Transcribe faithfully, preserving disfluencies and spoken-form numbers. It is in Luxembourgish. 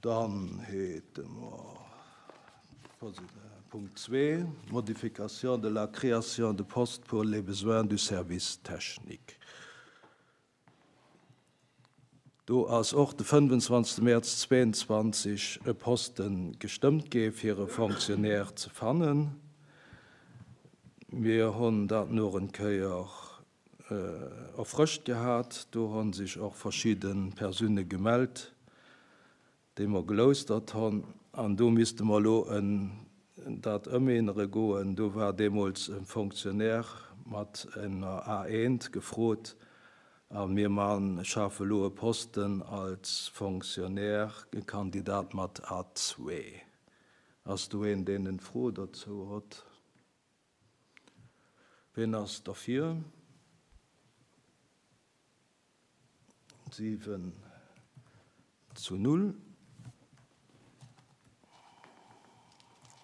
Dann hätte mer Punkt zwee, Modification de la création de postes pour les besoins du service technique. Do ass och de fënnefanzwanzegste Mäerz zweeënzwanzeg e Poste gestëmmt gi fir e Fonctionnaire ze fannen. Mir hunn dat nach eng Kéier erfrëscht gehat. Do hu sech och verschidde Persoune gemellt, déi mer geloustert hunn. An do misste mer elo en dat ëmännere goen. Do war deemools e Fonctionnaire mat enger A eent gefrot a mir man schafe elo e Posten als Fonctionnaire, e Kandidat mat A zwee. Ass do een, deen eng Fro dozou huet? Wien ass derfir? Siwen zu null.